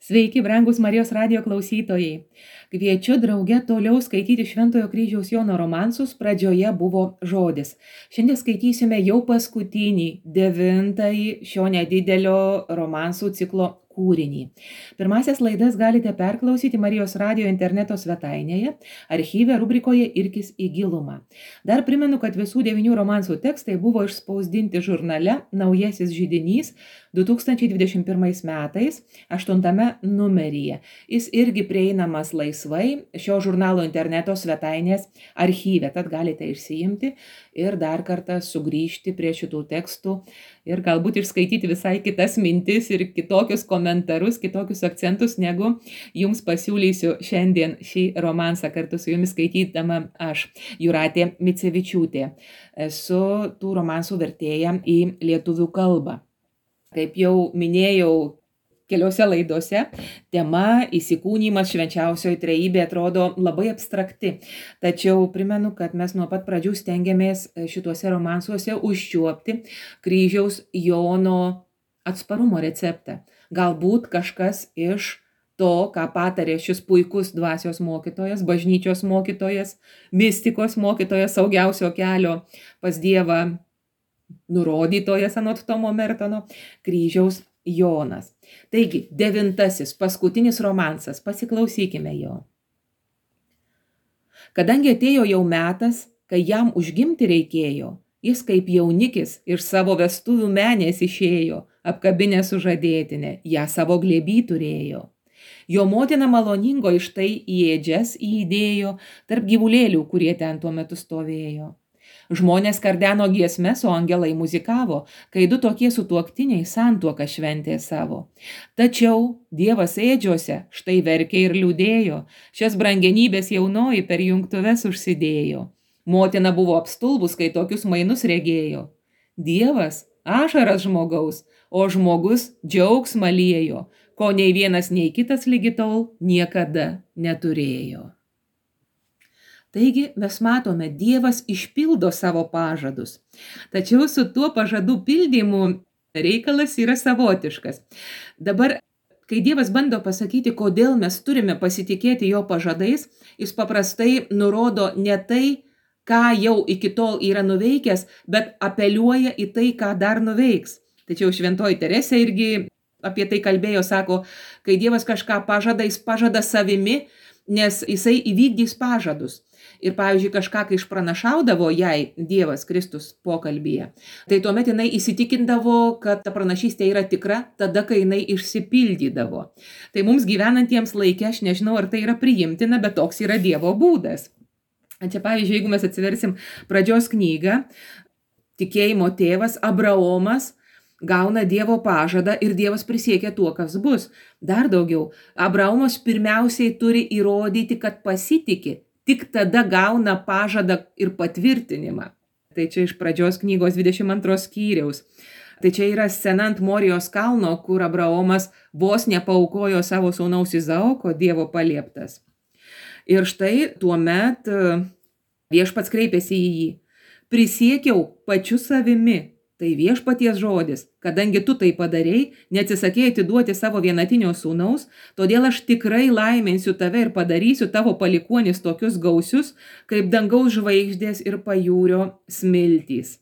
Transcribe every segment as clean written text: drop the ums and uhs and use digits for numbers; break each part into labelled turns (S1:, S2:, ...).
S1: Sveiki, brangus Marijos radijo klausytojai. Kviečiu drauge toliau skaityti Šventojo kryžiaus Jono romansus. Pradžioje buvo žodis. Šiandien skaitysime jau paskutinį, 9-ąjį šio nedidelio romansų ciklo kūrinį. Pirmasias laidas galite perklausyti Marijos radijo interneto svetainėje, archyve rubrikoje Irkis į gilumą. Dar primenu, kad visų 9 romansų tekstai buvo išspausdinti žurnale Naujasis židinys 2021 metais, 8 numeryje. Jis irgi prieinamas laisvai šio žurnalo interneto svetainės archyve, tad galite išsiimti ir dar kartą sugrįžti prie šitų tekstų ir galbūt išskaityti visai kitas mintis ir kitokius komentarus, kitokius akcentus, negu jums pasiūlysiu šiandien šį romansą kartu su jumis skaitydama aš, Jūratė Micevičiūtė. Esu tų romansų vertėja į lietuvių kalbą. Kaip jau minėjau keliose laidose, tema įsikūnymas švenčiausioji trejybė atrodo labai abstrakti. Tačiau primenu, kad mes nuo pat pradžių stengiamės šituose romansuose užčiuopti kryžiaus Jono atsparumo receptą. Galbūt kažkas iš to, ką patarė šis puikus dvasios mokytojas, bažnyčios mokytojas, mistikos mokytojas, saugiausio kelio pas Dievą nurodytojas anot Tomo Mertono, kryžiaus Jonas. Taigi, 9-asis, paskutinis romansas, pasiklausykime jo. Kadangi atėjo jau metas, kai jam užgimti reikėjo, jis kaip jaunikis iš savo vestuvių menės išėjo, apkabinę sužadėtinę, ją savo glėby turėjo. Jo motina maloningo iš tai į ėdžias įdėjo tarp gyvulėlių, kurie ten tuo metu stovėjo. Žmonės kardeno giesmes, o angelai muzikavo, kai du tokie sutuoktiniai santuoką šventė savo. Tačiau Dievas ėdžiose štai verkė ir liūdėjo, šias brangenybės jaunoji per jungtuves užsidėjo. Motina buvo apstulbus, kai tokius mainus regėjo. Dievas ašaras žmogaus, o žmogus džiaugsmą liejo, ko nei vienas, nei kitas lygi tol niekada neturėjo. Taigi mes matome, Dievas išpildo savo pažadus. Tačiau su tuo pažadų pildymu reikalas yra savotiškas. Dabar, kai Dievas bando pasakyti, kodėl mes turime pasitikėti jo pažadais, jis paprastai nurodo ne tai, ką jau iki tol yra nuveikęs, bet apeliuoja į tai, ką dar nuveiks. Tačiau šventoji Teresė irgi apie tai kalbėjo, sako, kai Dievas kažką pažada, jis pažada savimi, nes jisai įvykdys pažadus. Ir, pavyzdžiui, kažką, kai išpranašaudavo jai Dievas Kristus pokalbyje, tai tuomet jinai įsitikindavo, kad ta pranašystė yra tikra, tada, kai jinai išsipildydavo. Tai mums gyvenantiems laikė, aš nežinau, ar tai yra priimtina, bet toks yra Dievo būdas. Čia, pavyzdžiui, jeigu mes atsiversim pradžios knygą, tikėjimo tėvas Abraomas gauna Dievo pažadą ir Dievas prisiekia tuo, kas bus. Dar daugiau, Abraomas pirmiausiai turi įrodyti, kad pasitiki, tik tada gauna pažadą ir patvirtinimą. Tai čia iš pradžios knygos 22 skyriaus. Tai čia yra scena ant Morijos kalno, kur Abraomas vos nepaaukojo savo sūnaus Izaoko, Dievo palieptas. Ir štai tuomet viešpats kreipėsi į jį. Prisiekiau pačiu savimi. Tai viešpaties žodis, kadangi tu tai padarei, neatsisakėjai atiduoti savo vienatinio sūnaus, todėl aš tikrai laiminsiu tave ir padarysiu tavo palikuonis tokius gausius, kaip dangaus žvaigždės ir pajūrio smiltys.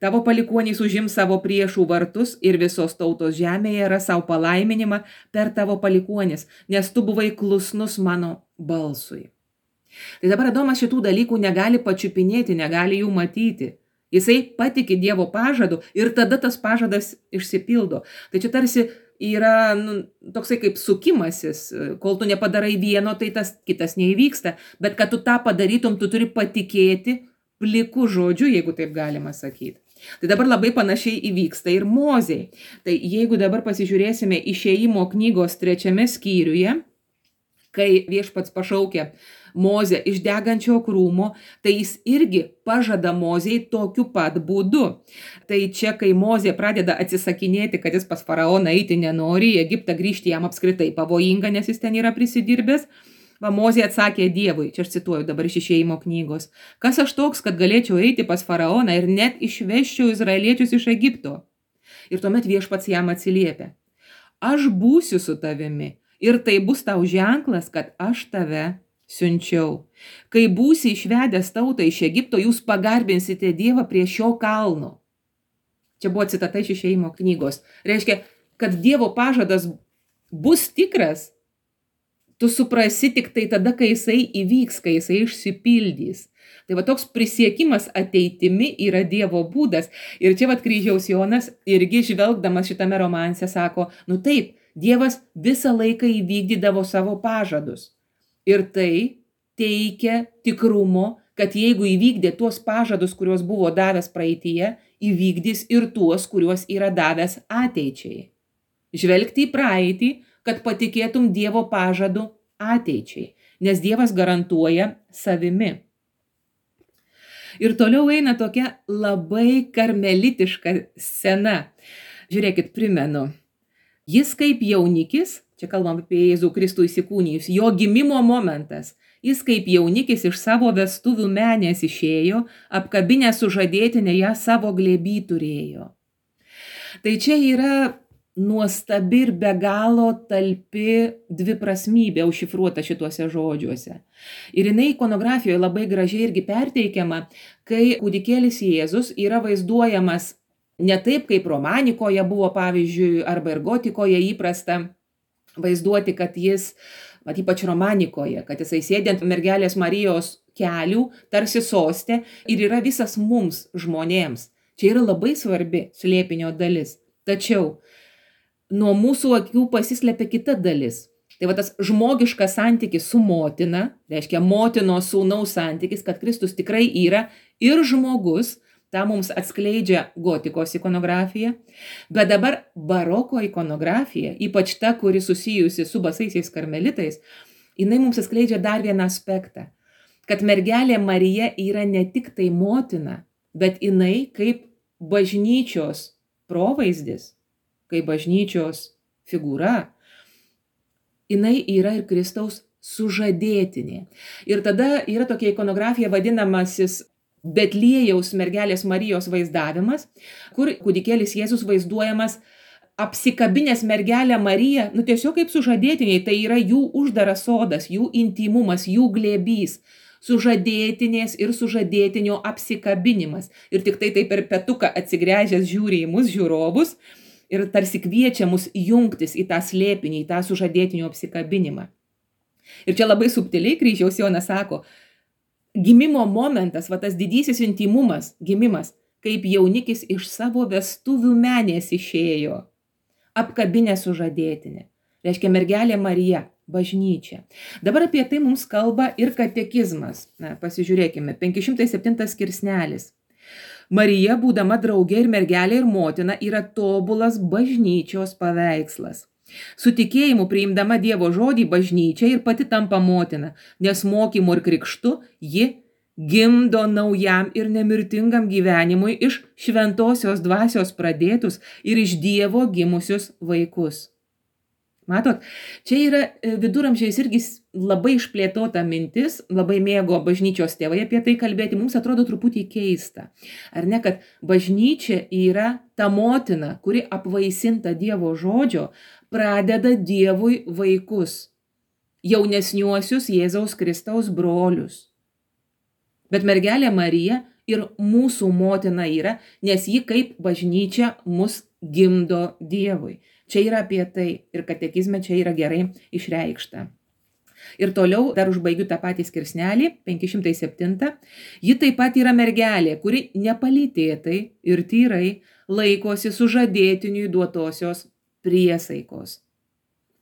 S1: Tavo palikuonis užims savo priešų vartus ir visos tautos žemėje ras savo palaiminimą per tavo palikuonis, nes tu buvai klusnus mano balsui. Tai dabar Adomas šitų dalykų negali pačiupinėti, negali jų matyti. Jisai patiki Dievo pažadu ir tada tas pažadas išsipildo. Tai čia tarsi yra toksai kaip sukimasis, kol tu nepadarai vieno, tai tas kitas neįvyksta. Bet kad tu tą padarytum, tu turi patikėti pliku žodžiu, jeigu taip galima sakyti. Tai dabar labai panašiai įvyksta ir Mozei. Tai jeigu dabar pasižiūrėsime Išėjimo knygos 3 skyriuje, kai viešpats pašaukia Mozę iš degančio krūmo, tai jis irgi pažada Mozei tokiu pat būdu. Tai čia, kai Mozė pradeda atsisakinėti, kad jis pas faraoną eiti nenori, į Egiptą grįžti jam apskritai pavojinga, nes jis ten yra prisidirbęs, Mozė atsakė Dievui, čia aš cituoju dabar iš Išėjimo knygos, kas aš toks, kad galėčiau eiti pas faraoną ir net išveščiau izraeliečius iš Egipto. Ir tuomet viešpats jam atsiliepia. Aš būsiu su tavimi Ir tai bus tau ženklas, kad aš tave siunčiau. Kai būsi išvedęs tautą iš Egipto, jūs pagarbinsite Dievą prie šio kalno. Čia buvo citata iš Išėjimo knygos. Reiškia, kad Dievo pažadas bus tikras, tu suprasi tik tai tada, kai jisai įvyks, kai jisai išsipildys. Tai va toks prisiekimas ateitimi yra Dievo būdas. Ir čia va kryžiaus Jonas irgi žvelgdamas šitame romanse sako, nu taip, Dievas visą laiką įvykdydavo savo pažadus. Ir tai teikia tikrumo, kad jeigu įvykdė tuos pažadus, kuriuos buvo davęs praeityje, įvykdys ir tuos, kuriuos yra davęs ateičiai. Žvelgti į praeitį, kad patikėtum Dievo pažadu ateičiai, nes Dievas garantuoja savimi. Ir toliau eina tokia labai karmelitiška scena. Žiūrėkit, primenu. Jis kaip jaunikis, čia kalbam apie Jėzų Kristų įsikūnijus, jo gimimo momentas, jis kaip jaunikis iš savo vestuvių menės išėjo, apkabinę sužadėtinę ją savo glėby turėjo. Tai čia yra nuostabi ir be galo talpi dviprasmybė užšifruota šituose žodžiuose. Ir jinai ikonografijoje labai gražiai irgi perteikiama, kai kūdikėlis Jėzus yra vaizduojamas ne taip, kaip romanikoje buvo, pavyzdžiui, arba ir gotikoje įprasta vaizduoti, kad jis, ypač romanikoje, kad jisai sėdi ant mergelės Marijos kelių, tarsi soste, ir yra visas mums žmonėms. Čia yra labai svarbi slėpinio dalis. Tačiau nuo mūsų akių pasislepia kita dalis. Tai va tas žmogiškas santykis su motina, reiškia motinos sūnaus santykis, kad Kristus tikrai yra ir žmogus, tą mums atskleidžia gotikos ikonografija, bet dabar baroko ikonografija, ypač ta, kuri susijusi su basaisiais karmelitais, jinai mums atskleidžia dar vieną aspektą, kad mergelė Marija yra ne tik tai motina, bet jinai kaip bažnyčios provaizdis, kaip bažnyčios figūra, jinai yra ir Kristaus sužadėtinė. Ir tada yra tokia ikonografija vadinamasis Betliejaus mergelės Marijos vaizdavimas, kur kūdikėlis Jėzus vaizduojamas apsikabinęs mergelę Mariją, tiesiog kaip sužadėtiniai, tai yra jų uždaras sodas, jų intymumas, jų glėbys, sužadėtinės ir sužadėtinio apsikabinimas. Ir tik tai per petuką atsigręžęs žiūri į mus žiūrovus ir tarsi kviečia mus jungtis į tą slėpinį, į tą sužadėtinio apsikabinimą. Ir čia labai subtiliai kryžiaus Jonas sako, gimimo momentas, va tas didysis intymumas, gimimas, kaip jaunikis iš savo vestuvių menės išėjo, apkabinę sužadėtinę. Reiškia mergelė Marija, bažnyčia. Dabar apie tai mums kalba ir katekizmas. Pasižiūrėkime, 507 skirsnelis. Marija, būdama draugė ir mergelė ir motina, yra tobulas bažnyčios paveikslas. Su tikėjimu priimdama Dievo žodį bažnyčia ir pati tampa motina, nes mokymu ir krikštu ji gimdo naujam ir nemirtingam gyvenimui iš šventosios dvasios pradėtus ir iš Dievo gimusius vaikus. Matot, čia yra viduramžiais irgi labai išplėtota mintis, labai mėgo bažnyčios tėvai apie tai kalbėti, mums atrodo truputį keista. Ar ne, kad bažnyčia yra ta motina, kuri apvaisinta Dievo žodžio, pradeda Dievui vaikus, jaunesniuosius Jėzaus Kristaus brolius. Bet mergelė Marija ir mūsų motina yra, nes ji kaip bažnyčia mus gimdo Dievui. Čia yra apie tai ir katekizme čia yra gerai išreikšta. Ir toliau dar užbaigiu tą patį skirsnelį, 507. Ji taip pat yra mergelė, kuri nepalytėtai ir tyrai laikosi sužadėtiniui duotosios priesaikos.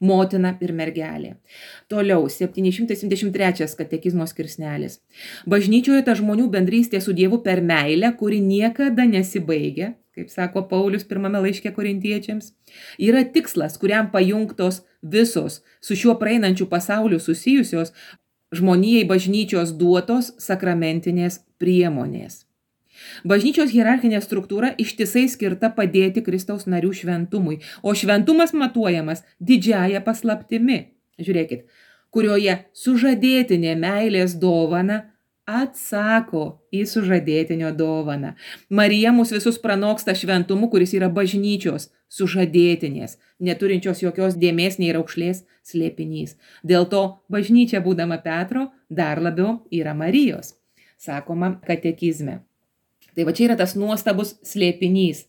S1: Motina ir mergelė. Toliau, 773 katekizmo skirsnelis. Bažnyčioje ta žmonių bendrystė su Dievu per meilę, kuri niekada nesibaigia, kaip sako Paulius pirmame laiške korintiečiams, yra tikslas, kuriam pajungtos visos su šiuo praeinančiu pasauliu susijusios žmonijai bažnyčios duotos sakramentinės priemonės. Bažnyčios hierarchinė struktūra ištisai skirta padėti Kristaus narių šventumui, o šventumas matuojamas didžiąja paslaptimi, žiūrėkit, kurioje sužadėtinė meilės dovana atsako į sužadėtinio dovaną. Marija mus visus pranoksta šventumu, kuris yra bažnyčios sužadėtinės, neturinčios jokios dėmės nei raukšlės slėpinys. Dėl to bažnyčia, būdama Petro, dar labiau yra Marijos, sakoma katekizme. Tai va čia yra tas nuostabus slėpinys.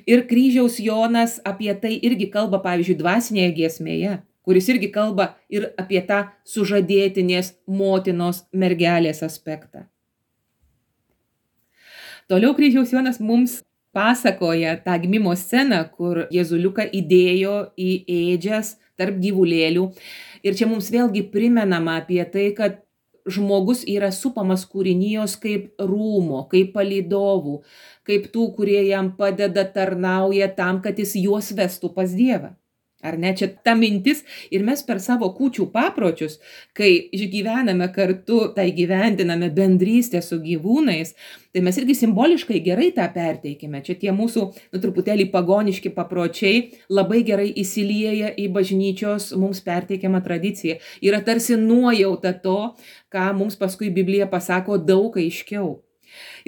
S1: Ir kryžiaus Jonas apie tai irgi kalba, pavyzdžiui, dvasinėje giesmėje, kuris irgi kalba ir apie tą sužadėtinės motinos mergelės aspektą. Toliau kryžiaus Jonas mums pasakoja tą gimimo sceną, kur Jėzuliuką įdėjo į ėdžias tarp gyvulėlių. Ir čia mums vėlgi primenama apie tai, kad žmogus yra supamas kūrinijos kaip rūmo, kaip palydovų, kaip tų, kurie jam padeda, tarnauja tam, kad jis juos vestų pas Dievą. Ar ne? Čia ta mintis ir mes per savo kūčių papročius, kai išgyvename kartu, tai gyventiname bendrystę su gyvūnais, tai mes irgi simboliškai gerai tą perteikime. Čia tie mūsų truputėlį pagoniški papročiai labai gerai įsilieja į bažnyčios mums perteikiamą tradiciją. Yra tarsi nuojauta to, ką mums paskui Biblija pasako daug aiškiau.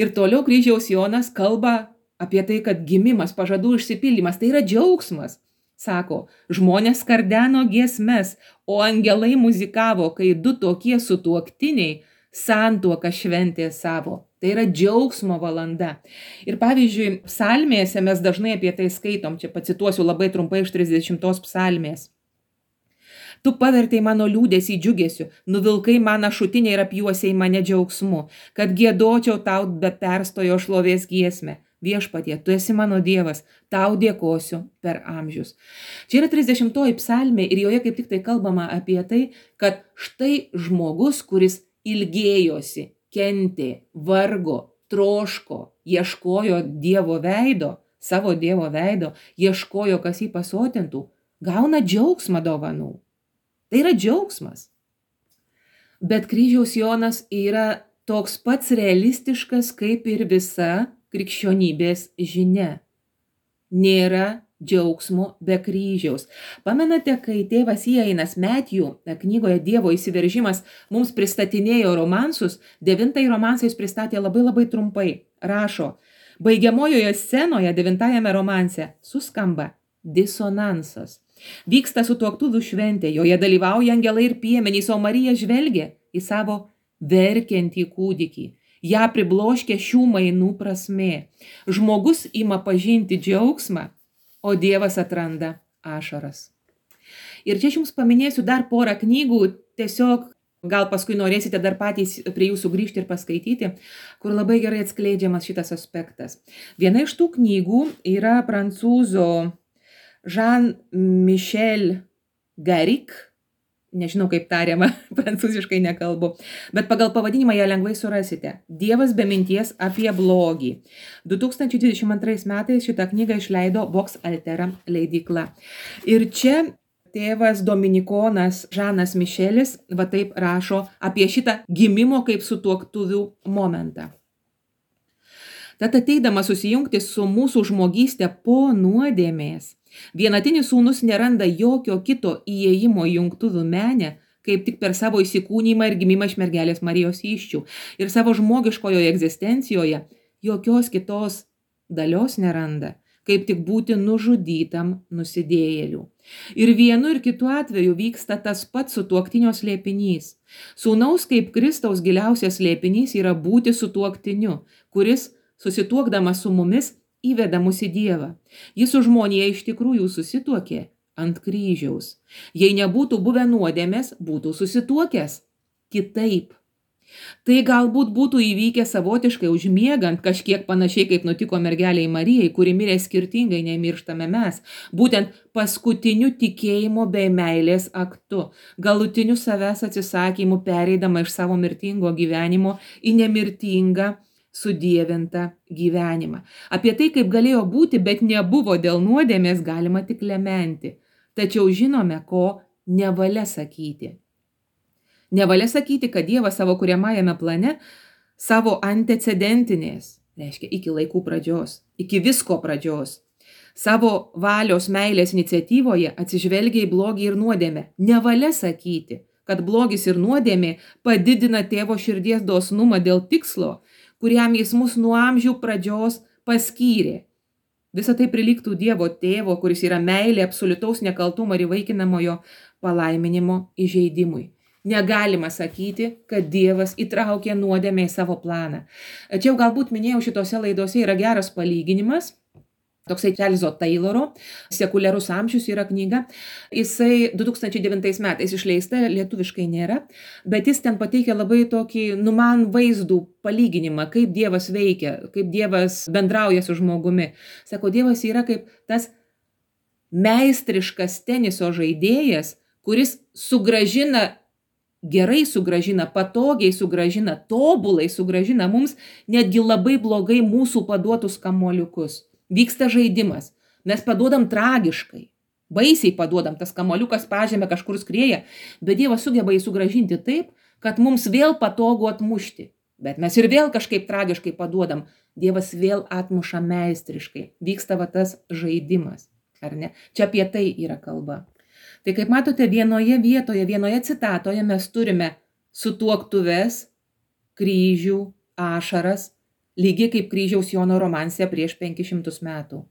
S1: Ir toliau kryžiaus Jonas kalba apie tai, kad gimimas, pažadų išsipildymas, tai yra džiaugsmas. Sako, žmonės skardeno giesmes, o angelai muzikavo, kai du tokie sutuoktiniai santuoką šventė savo. Tai yra džiaugsmo valanda. Ir pavyzdžiui, psalmėse mes dažnai apie tai skaitom, čia pacituosiu labai trumpai iš 30 psalmės. Tu pavertei mano liūdesį džiugesiu, nuvilkai man ašutinę ir apjuosiai mane džiaugsmu, kad giedočiau tau be perstojo šlovės giesmę. Viešpatie, tu esi mano Dievas, tau dėkosiu per amžius. Čia yra 30 psalmė ir joje kaip tik tai kalbama apie tai, kad štai žmogus, kuris ilgėjosi, kentė, vargo, troško, ieškojo Dievo veido, savo Dievo veido, ieškojo, kas jį pasotintų, gauna džiaugsmą dovanų. Tai yra džiaugsmas. Bet kryžiaus Jonas yra toks pats realistiškas kaip ir visa krikščionybės žinia. Nėra džiaugsmo be kryžiaus. Pamenate, kai tėvas Iainas Metjų knygoje Dievo įsiveržimas mums pristatinėjo romansus, 9 romansą jis pristatė labai trumpai. Rašo, baigiamojoje scenoje 9 romanse suskamba disonansas. Vyksta sutuoktuvių šventė, joje dalyvauja angelai ir piemenys, o Marija žvelgia į savo verkiantį kūdikį. Ja pribloškia šių mainų prasmė. Žmogus ima pažinti džiaugsmą, o Dievas atranda ašaras. Ir čia aš jums paminėsiu dar porą knygų, tiesiog gal paskui norėsite dar patys prie jų sugrįžti ir paskaityti, kur labai gerai atskleidžiamas šitas aspektas. Viena iš tų knygų yra prancūzo Jean-Michel Garrigue, nežinau kaip tariama, prancūziškai nekalbu, bet pagal pavadinimą ją lengvai surasite. Dievas be minties apie blogį. 2022 metais šitą knygą išleido Vox Altera leidykla. Ir čia tėvas dominikonas Žanas Mišelis va taip rašo apie šitą gimimo kaip sutuoktuvių momentą. Tad ateidamas susijungti su mūsų žmogystė po nuodėmės, vienatinis sūnus neranda jokio kito įėjimo į jungtuvių menę, kaip tik per savo įsikūnymą ir gimimą iš mergelės Marijos įsčių. Ir savo žmogiškojoje egzistencijoje jokios kitos dalios neranda, kaip tik būti nužudytam nusidėjėlių. Ir vienu ir kitu atveju vyksta tas pats sutuoktinio slėpinys. Sūnaus kaip Kristaus giliausias slėpinys yra būti sutuoktiniu, kuris susituokdamas su mumis įveda mus į Dievą. Jis su žmonija iš tikrųjų susituokė ant kryžiaus. Jei nebūtų buvę nuodėmės, būtų susituokęs kitaip. Tai galbūt būtų įvykę savotiškai užmiegant, kažkiek panašiai kaip nutiko mergeliai Marijai, kuri mirė skirtingai nei mirštame mes, būtent paskutiniu tikėjimo bei meilės aktu, galutiniu savęs atsisakymu pereidama iš savo mirtingo gyvenimo į nemirtingą sudievintą gyvenimą. Apie tai, kaip galėjo būti, bet nebuvo dėl nuodėmės, galima tik lementi. Tačiau žinome, ko nevalia sakyti. Nevalia sakyti, kad Dievas savo kuriamajame plane savo antecedentinės, reiškia iki laikų pradžios, iki visko pradžios, savo valios meilės iniciatyvoje atsižvelgia į blogį ir nuodėmę. Nevalia sakyti, kad blogis ir nuodėmė padidina tėvo širdies dosnumą dėl tikslo, kuriam jis mus nuo amžių pradžios paskyrė. Visa tai prilygtų Dievo tėvo, kuris yra meilė absoliutaus nekaltumo ir įvaikinamojo palaiminimo įžeidimui. Negalima sakyti, kad Dievas įtraukė nuodėmę į savo planą. Čia jau galbūt minėjau šitose laidose yra geras palyginimas. Toksai Čarlzo Tayloro Sekuliarus amžius yra knyga. Jisai 2009 metais išleista, lietuviškai nėra, bet jis ten pateikia labai tokį, man vaizdų palyginimą, kaip Dievas veikia, kaip Dievas bendrauja su žmogumi. Sako, Dievas yra kaip tas meistriškas teniso žaidėjas, kuris gerai sugrąžina, patogiai sugrąžina, tobulai sugrąžina mums netgi labai blogai mūsų paduotus kamuoliukus. Vyksta žaidimas. Mes paduodam tragiškai. Baisiai paduodam, tas kamuoliukas pažemė kažkur skrieja, bet Dievas sugeba jį sugrąžinti taip, kad mums vėl patogu atmušti. Bet mes ir vėl kažkaip tragiškai paduodam. Dievas vėl atmuša meistriškai. Vyksta va tas žaidimas. Ar ne? Čia apie tai yra kalba. Tai kaip matote, vienoje vietoje, vienoje citatoje mes turime sutuoktuves, kryžių, ašaras, lygiai kaip kryžiaus Jono romanse prieš 500 metų.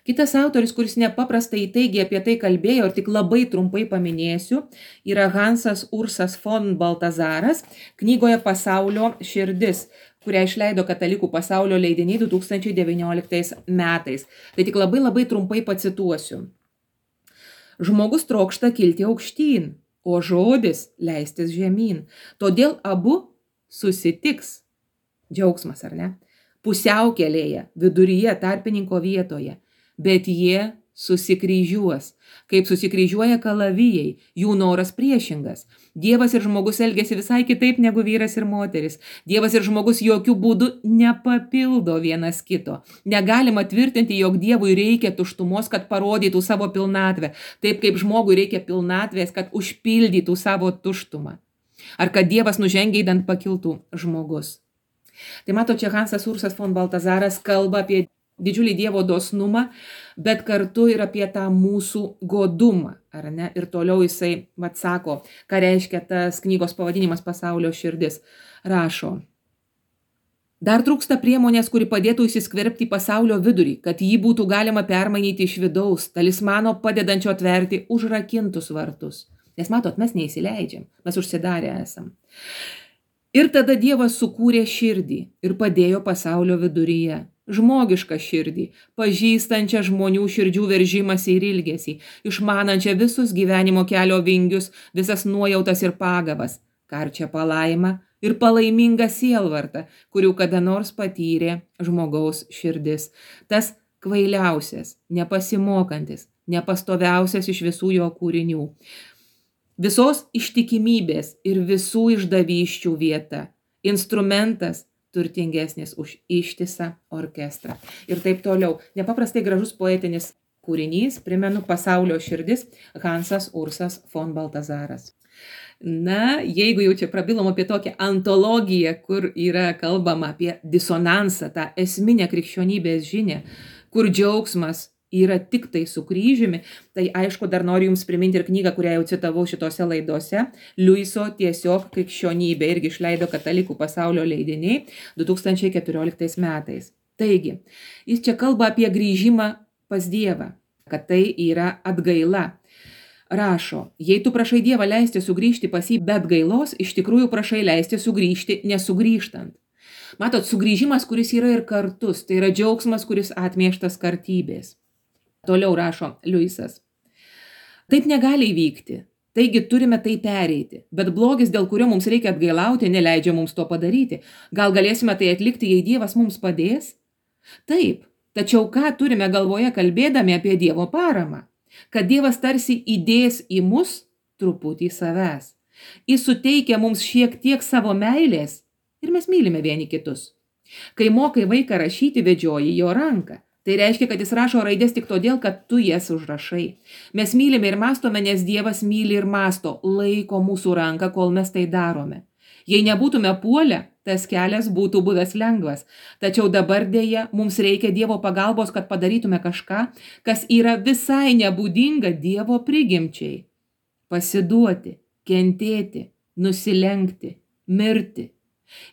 S1: Kitas autorius, kuris nepaprastai įtaigiai apie tai kalbėjo ir tik labai trumpai paminėsiu, yra Hansas Ursas von Baltazaras knygoje Pasaulio širdis, kurią išleido Katalikų pasaulio leidiniai 2019 metais. Tai tik labai trumpai pacituosiu. Žmogus trokšta kilti aukštyn, o žodis leistis žemyn. Todėl abu susitiks. Džiaugsmas, ar ne? Pusiaukelėje, viduryje, tarpininko vietoje, bet jie susikryžiuos. Kaip susikryžiuoja kalavijai, jų noras priešingas. Dievas ir žmogus elgiasi visai kitaip negu vyras ir moteris. Dievas ir žmogus jokių būdų nepapildo vienas kito. Negalima tvirtinti, jog Dievui reikia tuštumos, kad parodytų savo pilnatvę, taip kaip žmogui reikia pilnatvės, kad užpildytų savo tuštumą. Ar kad Dievas nužengiai pakiltų žmogus. Tai mato, čia Hansas Ursas von Baltazaras kalba apie didžiulį Dievo dosnumą, bet kartu ir apie tą mūsų godumą, ar ne? Ir toliau jisai sako, ką reiškia tas knygos pavadinimas Pasaulio širdis. Rašo, dar trūksta priemonės, kuri padėtų įsiskverbti į pasaulio vidurį, kad jį būtų galima permainyti iš vidaus, talismano padedančio atverti užrakintus vartus. Nes matot, mes neįsileidžiam, mes užsidarę esam. Ir tada Dievas sukūrė širdį ir padėjo pasaulio viduryje. Žmogišką širdį, pažįstančią žmonių širdžių veržimąsi ir ilgesį, išmanančią visus gyvenimo kelio vingius, visas nuojautas ir pagavas, karčią palaimą ir palaimingą sielvartą, kurių kada nors patyrė žmogaus širdis. Tas kvailiausias, nepasimokantis, nepastoviausias iš visų jo kūrinių. Visos ištikimybės ir visų išdavysčių vieta. Instrumentas turtingesnis už ištisą orkestrą. Ir taip toliau. Nepaprastai gražus poetinis kūrinys, primenu, Pasaulio širdis, Hansas Ursas von Baltazaras. Na, jeigu jau čia prabilom apie tokią antologiją, kur yra kalbama apie disonansą, tą esminę krikščionybės žinią, kur džiaugsmas yra tik tai su kryžiumi, tai aišku, dar noriu jums priminti ir knygą, kurią jau citavau šitose laidose, Liuiso Tiesiog krikščionybė, irgi išleido Katalikų pasaulio leidiniai 2014 metais. Taigi, jis čia kalba apie grįžimą pas Dievą, kad tai yra atgaila. Rašo, jei tu prašai Dievą leisti sugrįžti pas jį be atgailos, iš tikrųjų prašai leisti sugrįžti nesugrįžtant. Matot, sugrįžimas, kuris yra ir kartus, tai yra džiaugsmas, kuris atmieštas kartybės. Toliau rašo Liuisas. Taip negali įvykti, taigi turime tai pereiti, bet blogis, dėl kurio mums reikia atgailauti, neleidžia mums to padaryti. Gal galėsime tai atlikti, jei Dievas mums padės? Taip, tačiau ką turime galvoje kalbėdami apie Dievo paramą? Kad Dievas tarsi įdės į mus truputį savęs. Jis suteikia mums šiek tiek savo meilės ir mes mylime vieni kitus. Kai mokai vaiką rašyti, vedžioji jo ranką. Tai reiškia, kad jis rašo raidės tik todėl, kad tu jas užrašai. Mes mylime ir mąstome, nes Dievas myli ir mąsto, laiko mūsų ranką, kol mes tai darome. Jei nebūtume puolę, tas kelias būtų buvęs lengvas. Tačiau dabar dėja mums reikia Dievo pagalbos, kad padarytume kažką, kas yra visai nebūdinga Dievo prigimčiai. Pasiduoti, kentėti, nusilenkti, mirti.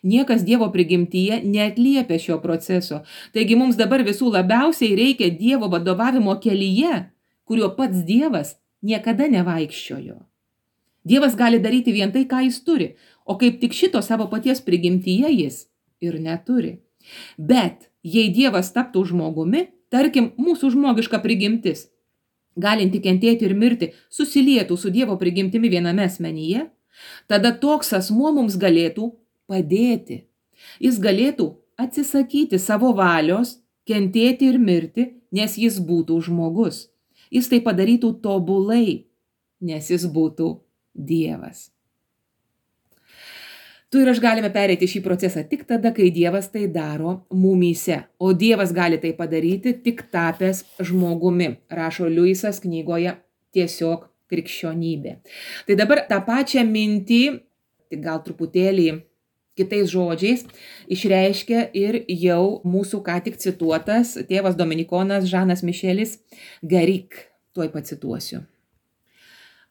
S1: Niekas Dievo prigimtyje neatliepia šio proceso. Taigi mums dabar visų labiausiai reikia Dievo vadovavimo kelyje, kuriuo pats Dievas niekada nevaikščiojo. Dievas gali daryti vien tai, ką jis turi, o kaip tik šito savo paties prigimtyje jis ir neturi. Bet jei Dievas taptų žmogumi, tarkim, mūsų žmogiška prigimtis, galinti kentėti ir mirti, susilietų su Dievo prigimtimi viename asmenyje, tada toks asmuo mums galėtų padėti. Jis galėtų atsisakyti savo valios, kentėti ir mirti, nes jis būtų žmogus. Jis tai padarytų tobulai, nes jis būtų Dievas. Tu ir aš galime pereiti šį procesą tik tada, kai Dievas tai daro mumyse, o Dievas gali tai padaryti tik tapęs žmogumi, rašo Liujisas knygoje Tiesiog krikščionybė. Tai dabar tą pačią mintį, tik gal truputėlį kitais žodžiais, išreiškia ir jau mūsų ką tik cituotas tėvas dominikonas Žanas Mišelis Garik. Tuoj pacituosiu.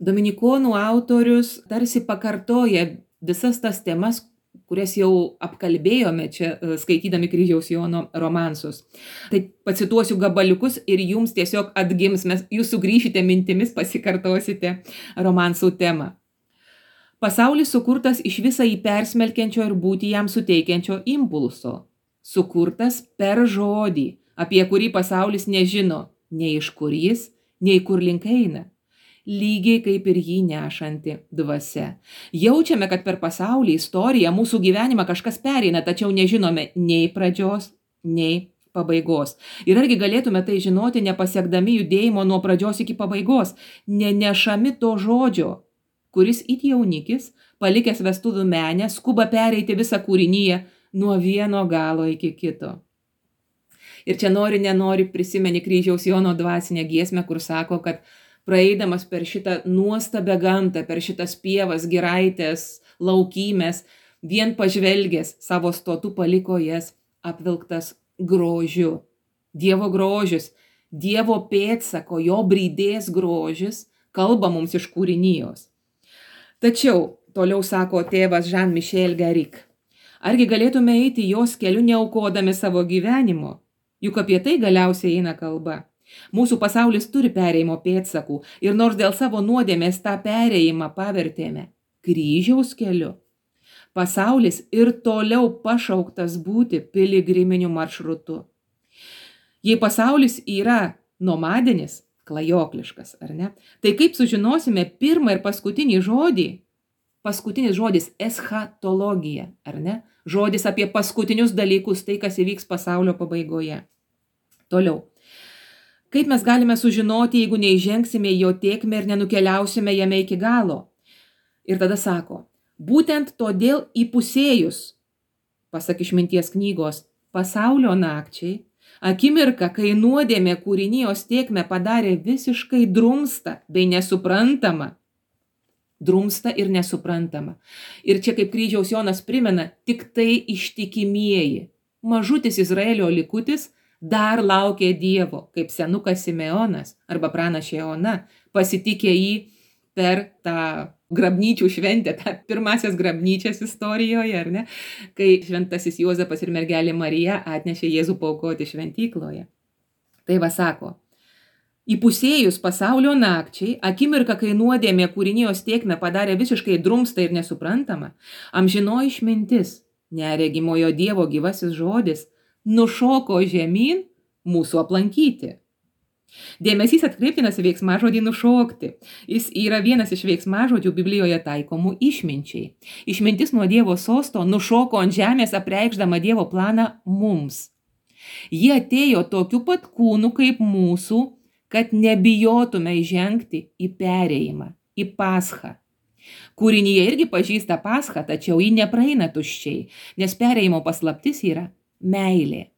S1: Dominikonų autorius tarsi pakartoja visas tas temas, kurias jau apkalbėjome čia skaitydami Kryžiaus Jono romansus. Tai pacituosiu gabaliukus ir jums tiesiog atgims, jūs sugrįšite mintimis, pasikartosite romansų temą. Pasaulis sukurtas iš visą jį persmelkiančio ir būti jam suteikiančio impulso. Sukurtas per žodį, apie kurį pasaulis nežino, nei iš kur jis, nei kur link eina. Lygiai kaip ir jį nešanti dvasia. Jaučiame, kad per pasaulį, istoriją, mūsų gyvenimą kažkas pereina, tačiau nežinome nei pradžios, nei pabaigos. Ir argi galėtume tai žinoti, nepasiekdami judėjimo nuo pradžios iki pabaigos, nenešami to žodžio, kuris it jaunikis, palikęs vestuvių menę, skuba pereiti visą kūrinyje nuo vieno galo iki kito. Ir čia nenori prisimeni Kryžiaus Jono dvasinę giesmę, kur sako, kad praeidamas per šitą nuostabią gamtą, per šitas pievas, giraitės, laukymės, vien pažvelgęs savo stotų paliko jas apvilktas grožiu. Dievo grožis, Dievo pėdsako, jo brydės grožis kalba mums iš kūrinijos. Tačiau, toliau sako tėvas Jean-Michel Garik, argi galėtume eiti jos keliu neaukodami savo gyvenimo? Juk apie tai galiausiai eina kalba. Mūsų pasaulis turi perėjimo pėdsakų ir nors dėl savo nuodėmės tą perėjimą pavertėme kryžiaus keliu, pasaulis ir toliau pašauktas būti piligriminiu maršrutu. Jei pasaulis yra nomadinis, klajokliškas, ar ne? Tai kaip sužinosime pirmą ir paskutinį žodį? Paskutinis žodis eschatologija, ar ne? Žodis apie paskutinius dalykus, tai kas įvyks pasaulio pabaigoje. Toliau. Kaip mes galime sužinoti, jeigu neįžengsime į jo tėkmę ir nenukeliausime jame iki galo? Ir tada sako, būtent todėl įpusėjus, pasak Išminties knygos, pasaulio nakčiai, akimirka, kai nuodėmė kūrinijos tėkmę padarė visiškai drumstą bei nesuprantama. Drumstą ir nesuprantama. Ir čia kaip Kryžiaus Jonas primena, tik tai ištikimieji. Mažutis Izraelio likutis dar laukė Dievo, kaip senukas Simeonas arba pranašė Ona, pasitikė jį per tą grabnyčių šventę, tą pirmasias grabnyčias istorijoje, ar ne, kai šventasis Juozapas ir mergelė Marija atnešė Jėzų paaukoti šventykloje. Tai va sako, įpusėjus pasaulio nakčiai, akimirka, kai nuodėmė kūrinijos tėkmę padarė visiškai drumstą ir nesuprantamą, amžinoji išmintis, neregimojo Dievo gyvasis žodis, nušoko žemyn mūsų aplankyti. Dėmesys atkreiptinas į veiksmažodį nušokti. Jis yra vienas iš veiksmažodžių Biblijoje taikomų išminčiai. Išmintis nuo Dievo sosto nušoko ant žemės apreikšdama Dievo planą mums. Jie atėjo tokiu pat kūnu kaip mūsų, kad nebijotume įžengti į perėjimą, į paschą. Kūrinyje irgi pažįsta paschą, tačiau ji nepraeina tuščiai, nes perėjimo paslaptis yra meilė.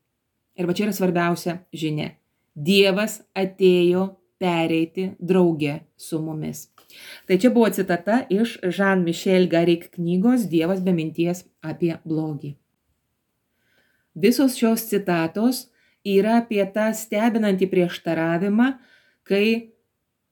S1: Ir va čia yra svarbiausia žinia. Dievas atėjo pereiti drauge su mumis. Tai čia buvo citata iš Jean-Michel Garik knygos Dievas be minties apie blogį. Visos šios citatos yra apie tą stebinantį prieštaravimą, kai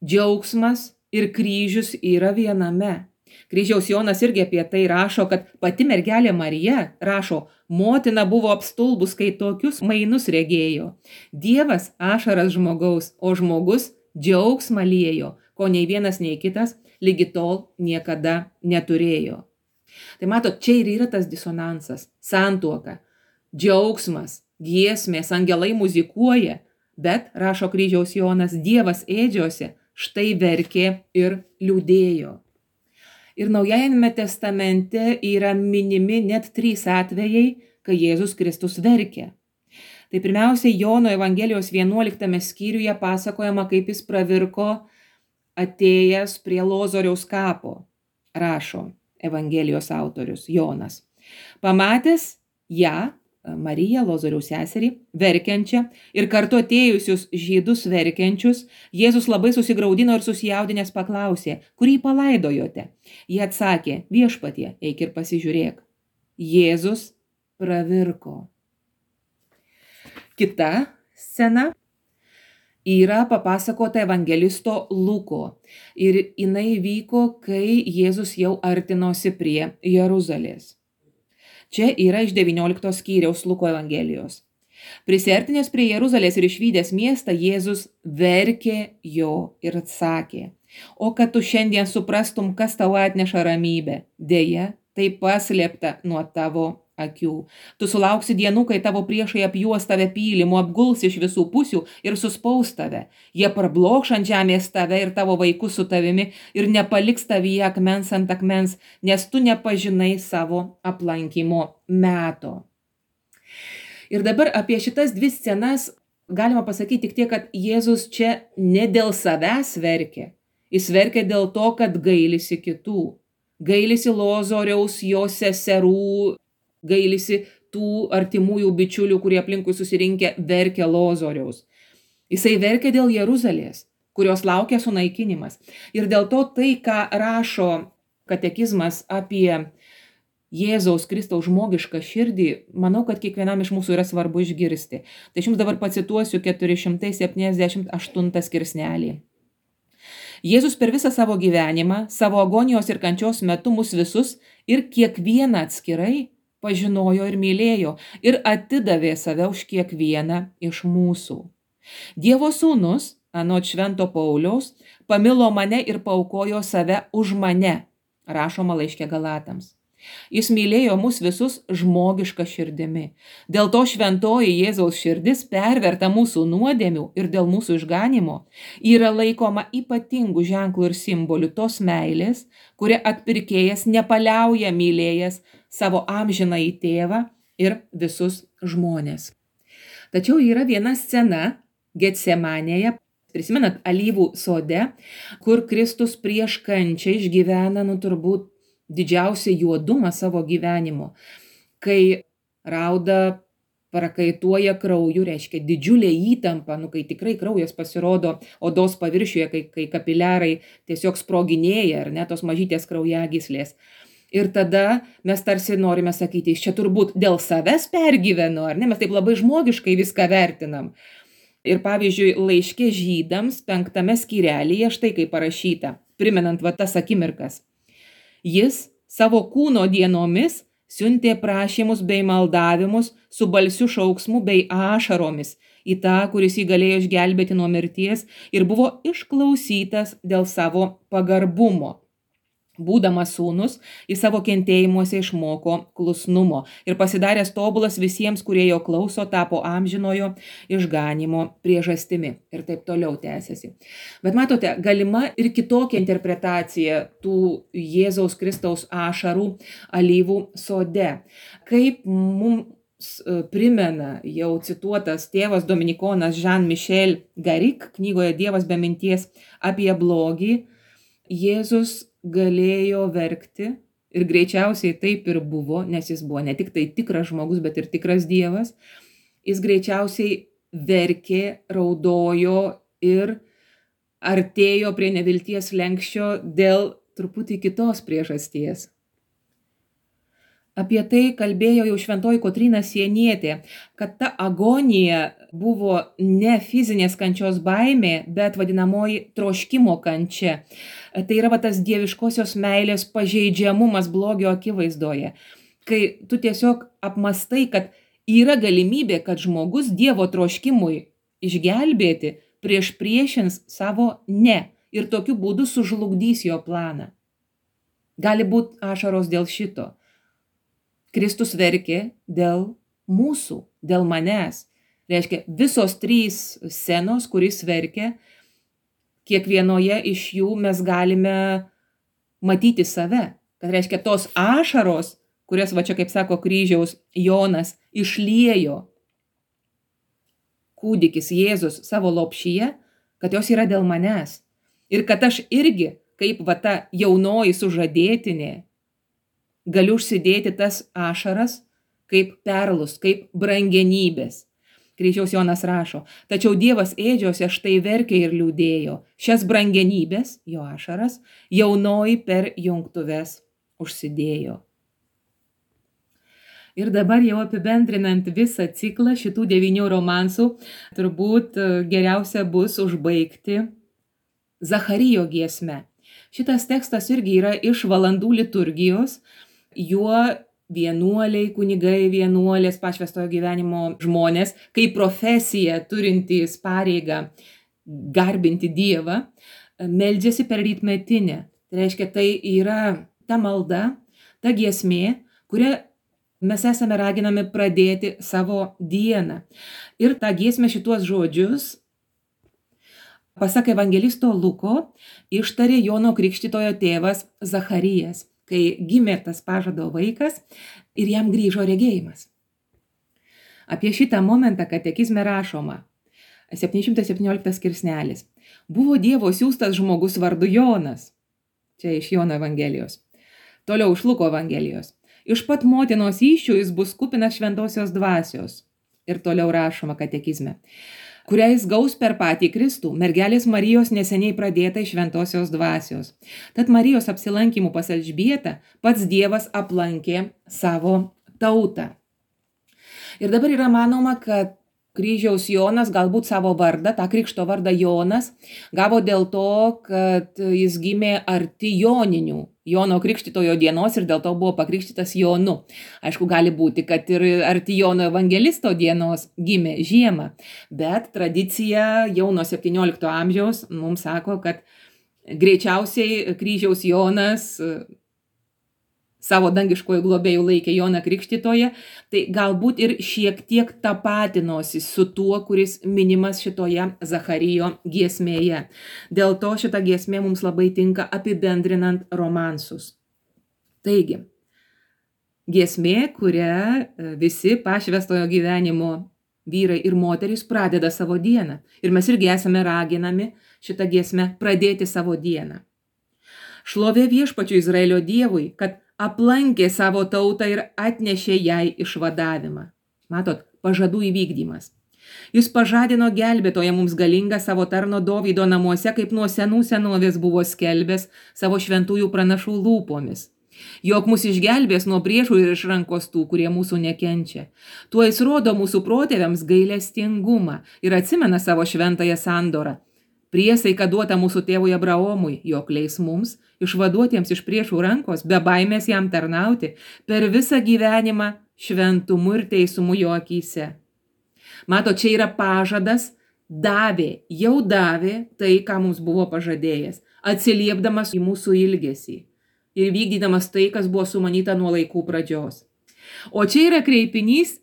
S1: džiaugsmas ir kryžius yra viename. Kryžiaus Jonas irgi apie tai rašo, kad pati mergelė Marija, rašo, motina buvo apstulbus, kai tokius mainus regėjo. Dievas ašaras žmogaus, o žmogus džiaugsmą liejo, ko nei vienas, nei kitas lygi tol niekada neturėjo. Tai matot, čia ir yra tas disonansas, santuoka, džiaugsmas, giesmės, angelai muzikuoja, bet, rašo Kryžiaus Jonas, Dievas ėdžiose štai verkė ir liūdėjo. Ir Naujajame testamente yra minimi net 3 atvejai, kai Jėzus Kristus verkė. Tai pirmiausia, Jono Evangelijos 11 skyriuje pasakojama, kaip jis pravirko atėjęs prie Lozoriaus kapo, rašo Evangelijos autorius Jonas. Pamatęs ją, Mariją, Lozoriaus seserį, verkiančią ir kartu atėjusius žydus verkiančius, Jėzus labai susigraudino ir susijaudinęs paklausė, kurį palaidojote? Jie atsakė, viešpatie, eik ir pasižiūrėk. Jėzus pravirko. Kita scena yra papasakota evangelisto Luko ir jinai vyko, kai Jėzus jau artinosi prie Jeruzalės. Čia yra iš 19 skyriaus Luko Evangelijos. Prisiartinęs prie Jeruzalės ir išvydęs miestą, Jėzus verkė jo ir atsakė, o kad tu šiandien suprastum, kas tau atneša ramybę, dėja, tai paslėpta nuo tavo akių. Tu sulauksi dienų, kai tavo priešai apjuos tave pylimu, apguls iš visų pusių ir suspaus tave. Jie prablokš ant žemės tave ir tavo vaikus su tavimi ir nepaliks tavyje akmens ant akmens, nes tu nepažinai savo aplankymo meto. Ir dabar apie šitas 2 scenas galima pasakyti tik tiek, kad Jėzus čia ne dėl savęs verkė. Jis verkė dėl to, kad gailisi kitų. Gailisi Lozoriaus, jo seserų, gailisi tų artimųjų bičiulių, kurie aplinkui susirinkę verkė Lozoriaus. Jisai verkė dėl Jeruzalės, kurios laukia sunaikinimas. Ir dėl to tai, ką rašo katekizmas apie Jėzaus Kristaus žmogišką širdį, manau, kad kiekvienam iš mūsų yra svarbu išgirsti. Tai aš jums dabar pacituosiu 478 skirsnelį. Jėzus per visą savo gyvenimą, savo agonijos ir kančios metu mus visus ir kiekvieną atskirai pažinojo ir mylėjo ir atidavė save už kiekvieną iš mūsų. Dievo sūnus, anot Švento Pauliaus, pamilo mane ir paaukojo save už mane, rašoma laiške Galatams. Jis mylėjo mus visus žmogišką širdimi. Dėl to šventoji Jėzaus širdis, perverta mūsų nuodėmių ir dėl mūsų išganimo, yra laikoma ypatingų ženklų ir simbolių tos meilės, kuria atpirkėjas nepaliauja mylėjęs savo amžinąjį tėvą ir visus žmonės. Tačiau yra viena scena Getsemanėje, prisimenat, alyvų sode, kur Kristus prieš kančią išgyvena, turbūt didžiausią juodumą savo gyvenimo, kai rauda prakaituoja krauju, reiškia didžiulė įtampa, kai tikrai kraujas pasirodo odos paviršiuje, kai kapiliarai tiesiog sproginėja, ar ne, tos mažytės kraujagyslės. Ir tada mes tarsi norime sakyti, čia turbūt dėl savęs pergyvenu, ar ne, mes taip labai žmogiškai viską vertinam. Ir pavyzdžiui, laiške žydams 5 skyrelyje štai kaip parašyta, primenant tas akimirkas. Jis savo kūno dienomis siuntė prašymus bei maldavimus su balsiu šauksmu bei ašaromis į tą, kuris jį galėjo išgelbėti nuo mirties ir buvo išklausytas dėl savo pagarbumo. Būdamas sūnus, į savo kentėjimuose išmoko klusnumo ir pasidaręs tobulas visiems, kurie jo klauso, tapo amžinojo išganimo priežastimi. Ir taip toliau tęsiasi. Bet matote, galima ir kitokia interpretacija tų Jėzaus Kristaus ašarų alyvų sode. Kaip mums primena jau cituotas tėvas dominikonas Jean-Michel Garik knygoje Dievas be minties apie blogį, Jėzus galėjo verkti ir greičiausiai taip ir buvo, nes jis buvo ne tik tai tikras žmogus, bet ir tikras Dievas. Jis greičiausiai verkė, raudojo ir artėjo prie nevilties slenksčio dėl truputį kitos priežasties. Apie tai kalbėjo jau šventoji Kotryna Sienietė, kad ta agonija buvo ne fizinės kančios baimė, bet vadinamoji troškimo kančia. Tai yra tas dieviškosios meilės pažeidžiamumas blogio akivaizdoje, kai tu tiesiog apmastai, kad yra galimybė, kad žmogus Dievo troškimui išgelbėti priešins savo ne ir tokiu būdu sužlugdys jo planą. Gali būti ašaros dėl šito. Kristus verkė dėl mūsų, dėl manęs. Reiškia, visos 3 scenos, kuris verkia, kiekvienoje iš jų mes galime matyti save. Kad reiškia, tos ašaros, kurias, va čia kaip sako kryžiaus Jonas, išliejo kūdikis Jėzus savo lopšyje, kad jos yra dėl manęs. Ir kad aš irgi, kaip va ta jaunoji sužadėtinė, galiu užsidėti tas ašaras kaip perlus, kaip brangenybės. Kryžiaus Jonas rašo, tačiau Dievas ėdžiose štai verkė ir liūdėjo. Šias brangenybės, jo ašaras, jaunoji per jungtuves užsidėjo. Ir dabar jau apibendrinant visą ciklą šitų 9 romansų, turbūt geriausia bus užbaigti Zacharijo giesme. Šitas tekstas irgi yra iš valandų liturgijos, juo vienuoliai, kunigai, vienuolės, pašvęstojo gyvenimo žmonės, kaip profesija turintys pareigą garbinti Dievą, meldžiasi per rytmetinę. Tai reiškia, tai yra ta malda, ta giesmė, kurią mes esame raginami pradėti savo dieną. Ir tą giesmę šituos žodžius, pasak evangelisto Luko, ištarė Jono Krikštytojo tėvas Zacharijas, kai gimė tas pažado vaikas ir jam grįžo regėjimas. Apie šitą momentą katekizme rašoma, 717 skirsnelis. Buvo Dievo siųstas žmogus vardu Jonas. Čia iš Jono Evangelijos. Toliau iš Luko Evangelijos. Iš pat motinos įsčių jis bus kupinas šventosios dvasios. Ir toliau rašoma katekizme. Kurią jis gaus per patį Kristų, mergelės Marijos neseniai pradėta iš šventosios dvasios. Tad Marijos apsilankymų pas Elžbietą pats Dievas aplankė savo tautą. Ir dabar yra manoma, kad kryžiaus Jonas galbūt savo vardą, tą krikšto vardą Jonas, gavo dėl to, kad jis gimė arti joninių, Jono Krikštytojo dienos ir dėl to buvo pakrikštytas Jonu. Aišku, gali būti, kad ir arti Jono Evangelisto dienos gimė žiemą, bet tradicija jau nuo 17 amžiaus mums sako, kad greičiausiai kryžiaus Jonas savo dangiškojų globėjų laikė Joną Krikštytoją, tai galbūt ir šiek tiek tapatinosi su tuo, kuris minimas šitoje Zacharijo giesmėje. Dėl to šita giesmė mums labai tinka apibendrinant romansus. Taigi, giesmė, kurią visi pašvęstojo gyvenimo vyrai ir moterys pradeda savo dieną. Ir mes irgi esame raginami šitą giesmę pradėti savo dieną. Šlovė viešpačiui Izraelio Dievui, kad aplankė savo tautą ir atnešė jai išvadavimą. Matot, pažadų įvykdymas. Jis pažadino gelbėtoją mums galingą savo tarno Dovydo namuose, kaip nuo senų senovės buvo skelbęs savo šventųjų pranašų lūpomis. Jog mus išgelbės nuo priešų ir iš rankos tų, kurie mūsų nekenčia. Tuo jis rodo mūsų protėviams gailestingumą ir atsimena savo šventąją sandorą. Priesaika duota mūsų tėvui Abraomui, jog leis mums, išvaduotiems iš priešų rankos, be baimės jam tarnauti, per visą gyvenimą šventumu ir teisumu jo akyse. Mato, čia yra pažadas, jau davė tai, ką mums buvo pažadėjęs, atsiliepdamas į mūsų ilgesį ir vykdydamas tai, kas buvo sumanyta nuo laikų pradžios. O čia yra kreipinys,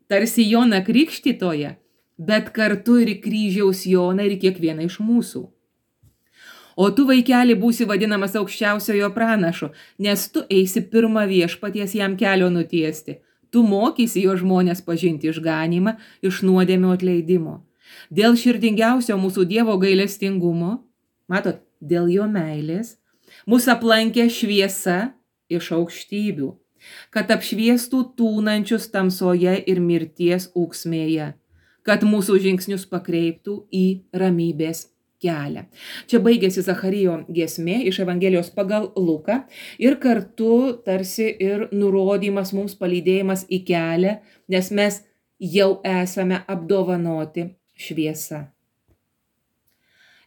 S1: tarsi Joną Krikštytoją, bet kartu ir kryžiaus Joną ir kiekvieną iš mūsų. O tu, vaikeli, būsi vadinamas aukščiausiojo pranašu, nes tu eisi pirmą viešpaties jam kelio nutiesti. Tu mokysi jo žmonės pažinti išganymą iš nuodėmių atleidimo. Dėl širdingiausio mūsų Dievo gailestingumo, matot, dėl jo meilės, mus aplankė šviesa iš aukštybių, kad apšviestų tūnančius tamsoje ir mirties ūksmėje, kad mūsų žingsnius pakreiptų į ramybės kelią. Čia baigėsi Zacharijo giesmė iš Evangelijos pagal Luką ir kartu tarsi ir nurodymas mums, palydėjimas į kelią, nes mes jau esame apdovanoti šviesa.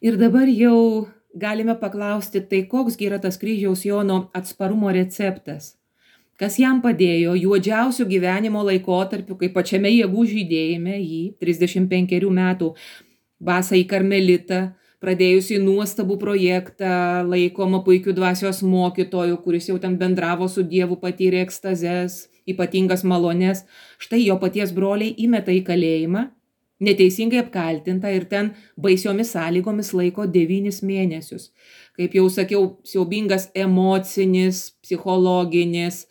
S1: Ir dabar jau galime paklausti, tai koksgi yra tas kryžiaus Jono atsparumo receptas? Kas jam padėjo juodžiausių gyvenimo laikotarpiu, kai pačiame jėgų žydėjime jį 35 metų basąjį karmelitą, pradėjusi nuostabų projektą, laikoma puikių dvasios mokytojų, kuris jau ten bendravo su Dievu, patyrė ekstazes, ypatingas malones. Štai jo paties broliai įmeta į kalėjimą, neteisingai apkaltinta ir ten baisiomis sąlygomis laiko 9 mėnesius. Kaip jau sakiau, siaubingas emocinis, psichologinis,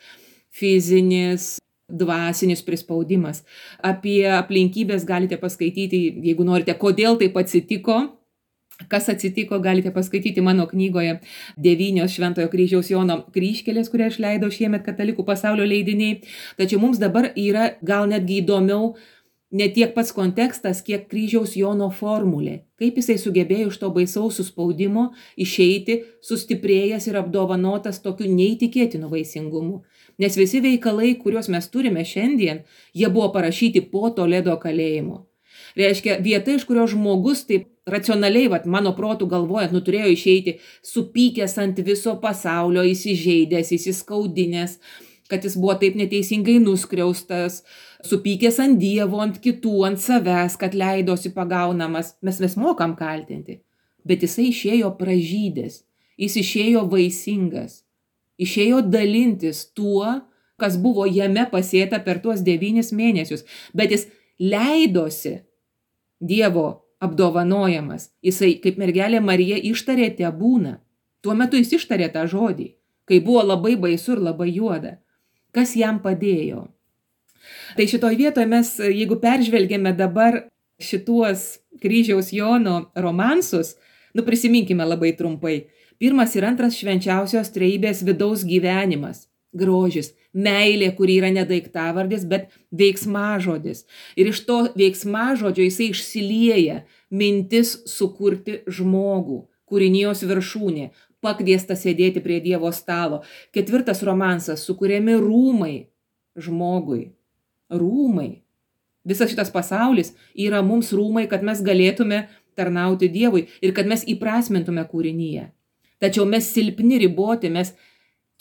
S1: fizinis, dvasinis prispaudimas. Apie aplinkybės galite paskaityti, jeigu norite, kodėl taip atsitiko. Kas atsitiko, galite paskaityti mano knygoje 9 Šventojo kryžiaus Jono kryžkelės, kurią išleido šiemet Katalikų pasaulio leidiniai. Tačiau mums dabar yra gal netgi įdomiau ne tiek pats kontekstas, kiek kryžiaus Jono formulė. Kaip jisai sugebėjo iš to baisaus suspaudimo išeiti, sustiprėjęs ir apdovanotas tokiu neįtikėtinu vaisingumu. Nes visi veikalai, kuriuos mes turime šiandien, jie buvo parašyti po Toledo kalėjimo. Reiškia, vieta, iš kurio žmogus taip racionaliai, mano protų galvojant, turėjo išeiti supykęs ant viso pasaulio, įsižeidęs, įsiskaudinęs, kad jis buvo taip neteisingai nuskriaustas, supykęs ant Dievo, ant kitų, ant savęs, kad leidosi pagaunamas. Mes mokam kaltinti, bet jisai išėjo pražydęs, jis išėjo vaisingas, išėjo dalintis tuo, kas buvo jame pasėta per tuos 9 mėnesius, bet jis leidosi Dievo apdovanojamas. Jisai, kaip mergelė Marija, ištarė tebūna. Tuo metu jis ištarė tą žodį, kai buvo labai baisu ir labai juoda. Kas jam padėjo? Tai šitoj vietoje mes, jeigu peržvelgėme dabar šituos kryžiaus Jono romansus, prisiminkime labai trumpai. 1 ir 2 švenčiausios trejybės vidaus gyvenimas, grožis, meilė, kuri yra ne daiktavardis, bet veiksmažodis. Ir iš to veiksmažodžio jisai išsilieja mintis sukurti žmogų, kūrinijos viršūnė, pakviesta sėdėti prie Dievo stalo. 4 romansas, sukuriami rūmai žmogui. Rūmai. Visas šitas pasaulis yra mums rūmai, kad mes galėtume tarnauti Dievui ir kad mes įprasmintume kūrinyje. Tačiau mes silpni, riboti, mes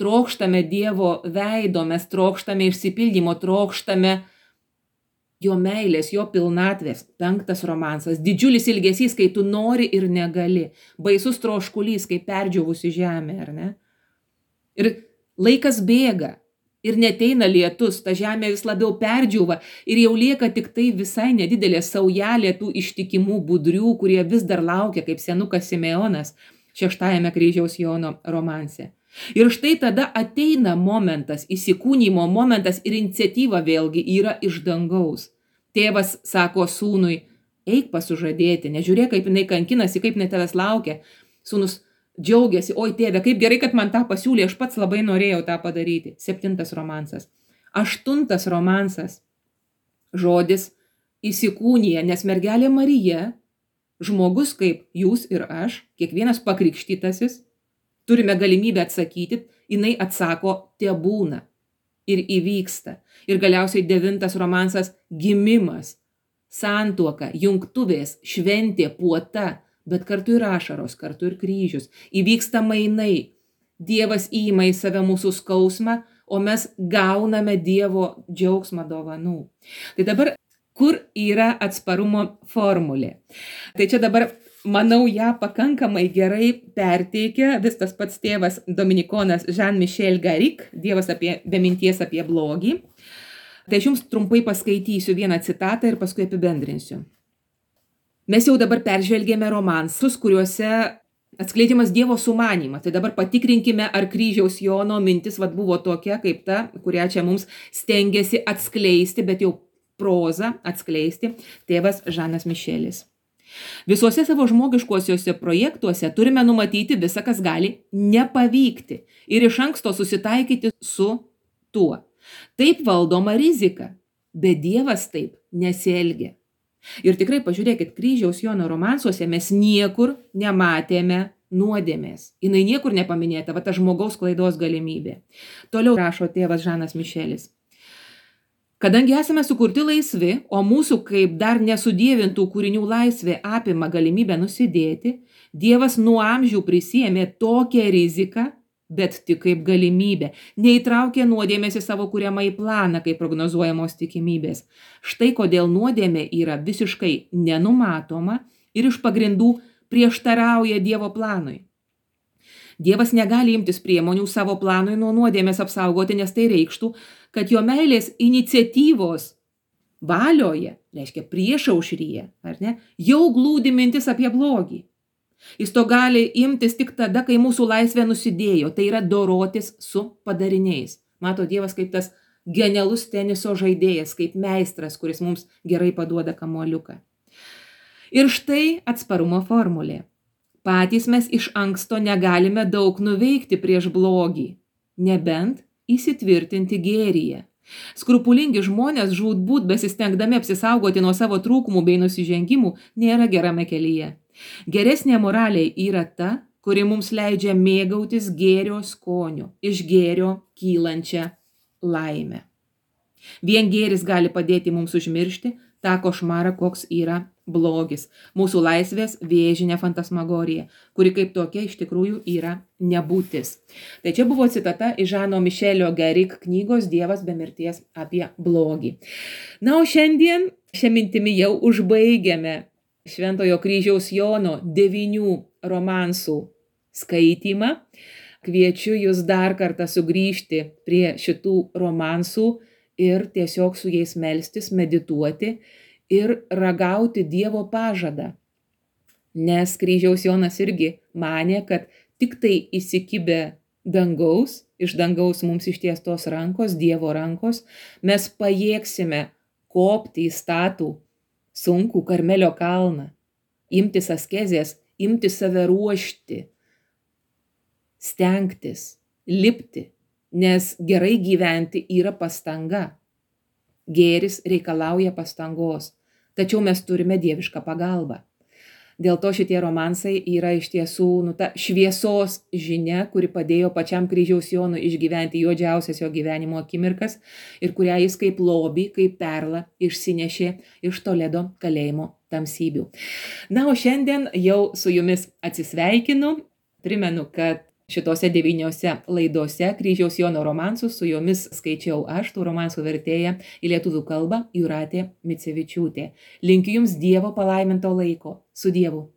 S1: trokštame Dievo veido, mes trokštame išsipildymo, trokštame jo meilės, jo pilnatvės. 5 romansas, didžiulis ilgesys, kai tu nori ir negali. Baisus troškulys, kai perdžiūvusi žemė, ar ne? Ir laikas bėga ir neteina lietus, ta žemė vis labiau perdžiūva ir jau lieka tik tai visai nedidelė saujelė tų ištikimų budrių, kurie vis dar laukia, kaip senukas Simeonas 6 kryžiaus Jono romanse. Ir štai tada ateina momentas, įsikūnymo momentas ir iniciatyva vėlgi yra iš dangaus. Tėvas sako sūnui, eik pas sužadėtinę, nežiūrėk, kaip jinai kankinasi, kaip jinai tavęs laukia. Sūnus džiaugiasi, oi tėve, kaip gerai, kad man tą pasiūlė, aš pats labai norėjau tą padaryti. 7 romansas. 8 romansas. Žodis įsikūnija, nes mergelė Marija, žmogus kaip jūs ir aš, kiekvienas pakrikštytasis, turime galimybę atsakyti, jinai atsako tebūna ir įvyksta. Ir galiausiai 9 romansas gimimas, santuoka, jungtuvės, šventė, puota, bet kartu ir ašaros, kartu ir kryžius. Įvyksta mainai. Dievas įima į save mūsų skausmą, o mes gauname Dievo džiaugsmą dovanų. Tai dabar, kur yra atsparumo formulė? Tai čia dabar manau, ją pakankamai gerai perteikia vis tas pats tėvas dominikonas Jean-Michel Garrigue, Dievas be minties apie blogį. Tai aš jums trumpai paskaitysiu vieną citatą ir paskui apibendrinsiu. Mes jau dabar peržvelgėme romansus, kuriuose atskleidžiamas Dievo sumanymas. Tai dabar patikrinkime, ar kryžiaus Jono mintis buvo tokia, kaip ta, kurią čia mums stengiasi atskleisti, bet jau prozą atskleisti tėvas Žanas Mišelis. Visuose savo žmogiškuosiuose projektuose turime numatyti visą, kas gali nepavykti ir iš anksto susitaikyti su tuo. Taip valdoma rizika, bet Dievas taip nesielgia. Ir tikrai pažiūrėkit, kryžiaus Jono romansuose mes niekur nematėme nuodėmės. Jinai niekur nepaminėta, va ta žmogaus klaidos galimybė. Toliau rašo tėvas Žanas Mišelis. Kadangi esame sukurti laisvi, o mūsų kaip dar nesudievintų kūrinių laisvė apima galimybę nusidėti, Dievas nuo amžių prisiėmė tokią riziką, bet tik kaip galimybę, neįtraukė nuodėmės į savo kuriamą į planą, kaip prognozuojamos tikimybės. Štai kodėl nuodėmė yra visiškai nenumatoma ir iš pagrindų prieštarauja Dievo planui. Dievas negali imtis priemonių savo planui nuo nuodėmės apsaugoti, nes tai reikštų, kad jo meilės iniciatyvos valioje, reiškia priešaušryje, ar ne, jau glūdi mintis apie blogį. Jis to gali imtis tik tada, kai mūsų laisvė nusidėjo, tai yra dorotis su padariniais. Mato Dievas kaip tas genialus teniso žaidėjas, kaip meistras, kuris mums gerai paduoda kamuoliuką. Ir štai atsparumo formulė. Patys mes iš anksto negalime daug nuveikti prieš blogį, nebent įsitvirtinti gėryje. Skrupulingi žmonės žūtbūt besistengdami apsisaugoti nuo savo trūkumų bei nusižengimų nėra gerame kelyje. Geresnė moralė yra ta, kuri mums leidžia mėgautis gėrio skoniu, iš gėrio kylančią laimę. Vien gėris gali padėti mums užmiršti tą košmarą, koks yra blogis, mūsų laisvės vėžinė fantasmagorija, kuri kaip tokia iš tikrųjų yra nebūtis. Tai čia buvo citata iš Žano Mišelio Gerik knygos Dievas be mirties apie blogį. Na, o šiandien šią mintimį jau užbaigiame Šventojo kryžiaus Jono 9 romansų skaitymą. Kviečiu jūs dar kartą sugrįžti prie šitų romansų ir tiesiog su jais melstis, medituoti ir ragauti Dievo pažadą. Nes kryžiaus Jonas irgi manė, kad tik tai įsikibę dangaus, iš dangaus mums ištiestos rankos, Dievo rankos, mes pajėgsime kopti į statų sunkų Karmelio kalną, imtis askezės, imtis save ruošti, stengtis, lipti, nes gerai gyventi yra pastanga. Gėris reikalauja pastangos, tačiau mes turime dievišką pagalbą. Dėl to šitie romansai yra iš tiesų ta šviesos žinia, kuri padėjo pačiam kryžiaus Jonui išgyventi juodžiausias jo gyvenimo akimirkas ir kurią jis kaip lobį, kaip perlą išsinešė iš Toledo kalėjimo tamsybių. Na, o šiandien jau su jumis atsisveikinu. Primenu, kad šitose 9 laidose kryžiaus Jono romansus su jomis skaičiau aš, tų romansų vertėja į lietuvių kalbą Jūratė Micevičiūtė. Linkiu jums Dievo palaiminto laiko. Su Dievu.